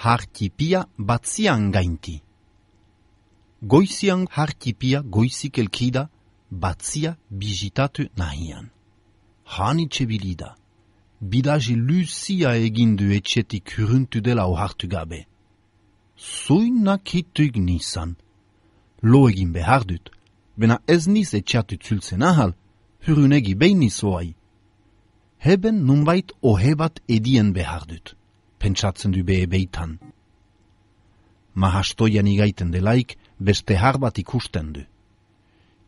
hartipia batzian gainti. Goizian hartipia goizik elkida, batzia bizitatu nahian. Hanitxe bilida. Bidaje luzia egindu etxetik huruntu dela ohartu gabe. Zuinak hituik nizan. Lo egin behar dut, bena ez niz etxatu zultzen ahal, hurunegi behin nizoai. Heben nunbait ohebat edien behar dut, pentsatzen du behe beitan. Mahastoian igaiten delaik beste harbat ikusten du.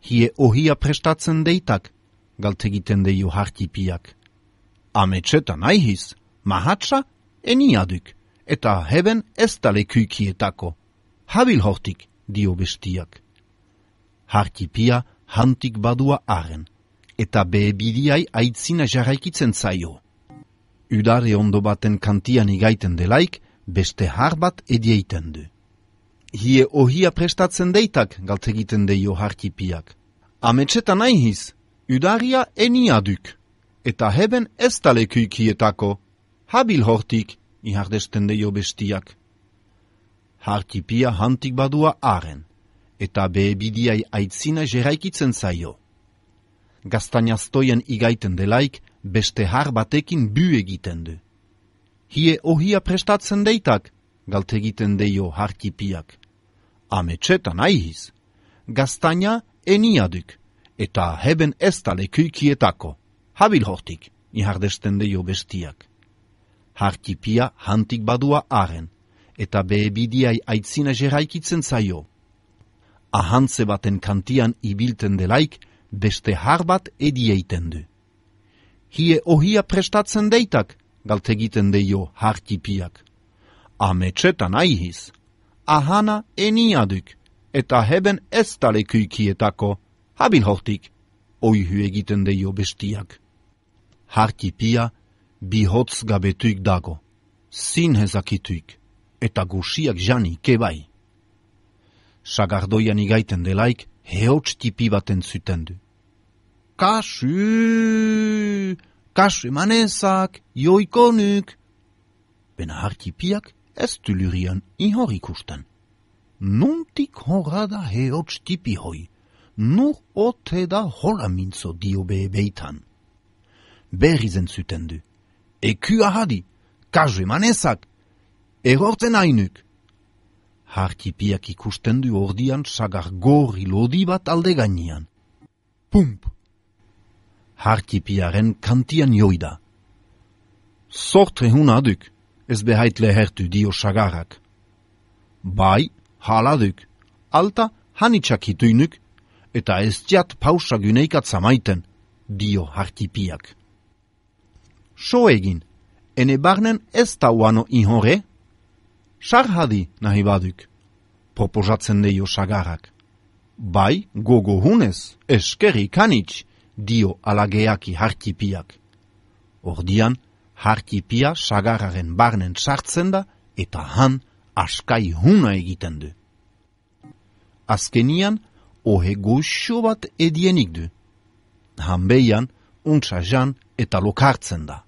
Hie ohia prestatzen deitak, galtegiten deio hartipiak. Ametxetan aihiz, mahatsa eniaduk, eta heben ez da lekuikietako. Habil hortik, dio bestiak. Hartipia hantik badua aren, eta behebidiai aitzina jarraikitzen zaio. Udare ondo baten kantian igaiten delaik, beste har bat edieiten du. Hie ohia prestatzen deitak, galtegiten deio hartipiak. Ametxetan aihiz, udaria eniaduk, eta heben ez da lekuikietako. Habil hortik, ihardesten deio bestiak. Hartipia hantik badua aren, eta behebidiai aitzina jeraikitzen zaio. Gaztainaztoien igaiten delaik, beste har batekin bu egiten du. Hie ohia prestatzen deitak, galtegiten deio hartipiak. Ametxetan aihiz, gaztaina eniaduk, eta heben ez da lekuikietako. Habil hortik, ihardesten deio bestiak. Hartipia hantik badua aren, eta behebidiai aitzina jeraikitzen zaio. Ahantze baten kantian ibilten delaik, beste har bat edieiten du. Hie ohia prestatzen deitak, galtegiten deio hartipiak. Ametxetan aihiz, ahana eniaduk, eta heben ez da lekuikietako. Habil hortik, oihu egiten deio bestiak. Hartipia bihotz gabetuik dago, zinhezakituik, eta gusiak jani kebai. Sagardoian igaiten delaik, heotx tipi baten zuten du. Kasu emanezak, joikonuk. Bena hartipiak ez du lurian ihor ikusten. Nuntik horada heotx tipi hoi, nur ote da hola mintzo dio beitan. Berrizen zuten du. Eku ahadi, kasu emanezak, erortzen ainuk. Hartipiak ikusten du ordian sagar gorri lodi bat alde gainean. Pump! Hartipiaren kantian joida. Sortre hunaduk, ez behait lehertu dio sagarak. Bai, haladuk, alta hanitsak hituinuk, eta ez diat pausa gyneikat zamaiten, dio hartipiak. So egin, ene barnen ez da uano ihore? Sarhadi nahi baduk, proposatzen deio sagarak. Bai, gogo hunez, eskeri kanitx, dio alageaki hartipiak. Ordian, hartipia sagararen barnen sartzen da, eta han askai huna egiten du. Azkenian, ohe goxo bat edienik du. Hanbeian, untsa jan eta lokartzen da.